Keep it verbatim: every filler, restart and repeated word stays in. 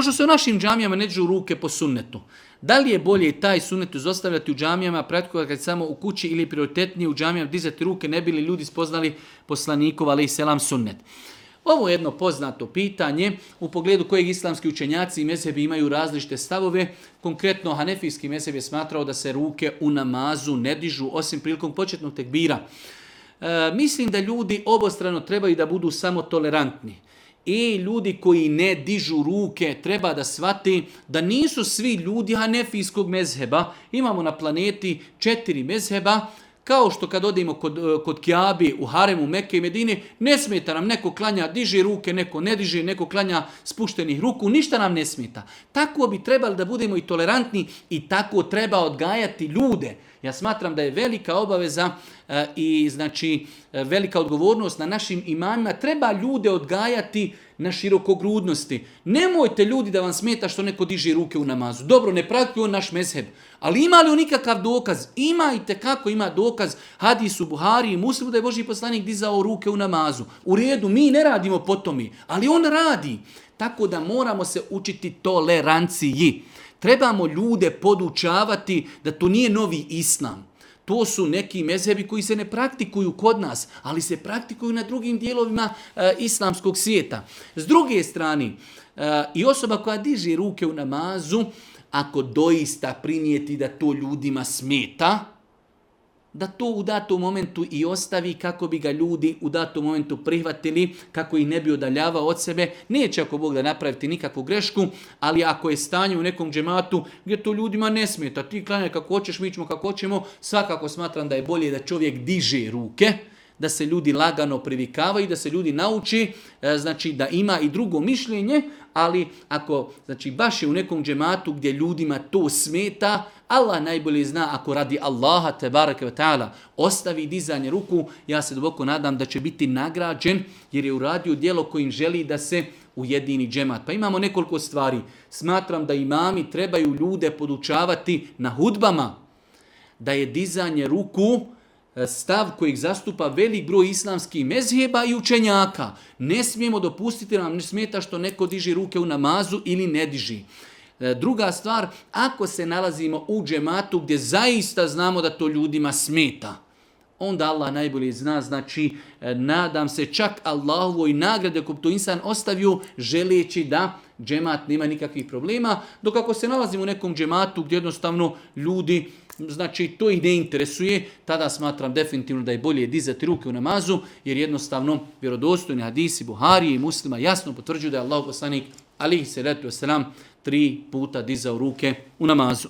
što se u našim džamijama ne dižu ruke po sunnetu. Da li je bolje taj sunnet izostavljati u džamijama, praktikovati samo u kući ili prioritetnije u džamijama dizati ruke, ne bi li ljudi spoznali poslanikov alejhi selam sunnet? Ovo je jedno poznato pitanje u pogledu kojeg islamski učenjaci i mezhebi imaju različite stavove. Konkretno, hanefijski mezheb je smatrao da se ruke u namazu ne dižu osim prilikom početnog tekbira. E, mislim da ljudi obostrano trebaju da budu samo tolerantni. I ljudi koji ne dižu ruke treba da shvati da nisu svi ljudi hanefijskog mezheba. Imamo na planeti četiri mezheba. Kao što kad odemo kod, kod Kjabi u haremu Mekke i Medine, ne smeta nam, neko klanja, diže ruke, neko ne diže, neko klanja spuštenih ruku, ništa nam ne smeta. Tako bi trebali da budemo i tolerantni i tako treba odgajati ljude. Ja smatram da je velika obaveza e, i znači e, velika odgovornost na našim imamima. Treba ljude odgajati na širokogrudnosti. Nemojte ljudi da vam smeta što neko diže ruke u namazu. Dobro, ne praktikuje on naš mezheb. Ali ima li on nikakav dokaz? Imajte kako ima dokaz hadis u Buhari i Muslimu da je Božji poslanik dizao ruke u namazu. U redu, mi ne radimo po tome, ali on radi. Tako da moramo se učiti toleranciji. Trebamo ljude podučavati da to nije novi islam. To su neki mezhebi koji se ne praktikuju kod nas, ali se praktikuju na drugim dijelovima e, islamskog svijeta. S druge strane, e, i osoba koja diže ruke u namazu, ako doista primijeti da to ljudima smeta, da to u datom momentu i ostavi kako bi ga ljudi u datom momentu prihvatili, kako ih ne bi odaljavao od sebe. Neće ako Bog da napraviti nikakvu grešku, ali ako je stanje u nekom džematu gdje to ljudima ne smeta, ti klanjaj kako hoćeš, mi ćemo kako hoćemo, svakako smatram da je bolje da čovjek diže ruke, da se ljudi lagano privikavaju, da se ljudi nauči, znači da ima i drugo mišljenje, ali ako znači baš je u nekom džematu gdje ljudima to smeta, Allah najbolje zna, ako radi Allaha tebareke ve taala ostavi dizanje ruku, ja se duboko nadam da će biti nagrađen jer je uradio djelo kojim želi da se ujedini džemat. Pa imamo nekoliko stvari. Smatram da imami trebaju ljude podučavati na hudbama da je dizanje ruku stav kojeg zastupa velik broj islamskih mezheba i učenjaka. Ne smijemo dopustiti da nam ne smeta što neko diže ruke u namazu ili ne diži. Druga stvar, ako se nalazimo u džematu gdje zaista znamo da to ljudima smeta, onda Allah najbolje zna, znači nadam se čak Allahovoj nagrade ako to insan ostavio želeći da džemat nema nikakvih problema, dok ako se nalazimo u nekom džematu gdje jednostavno ljudi, znači to ih ne interesuje, tada smatram definitivno da je bolje dizati ruke u namazu, jer jednostavno vjerodostojni hadisi Buharije i Muslima jasno potvrđuju da je Allahov poslanik alejhi selatu vesselam tri puta dizao ruke u namazu.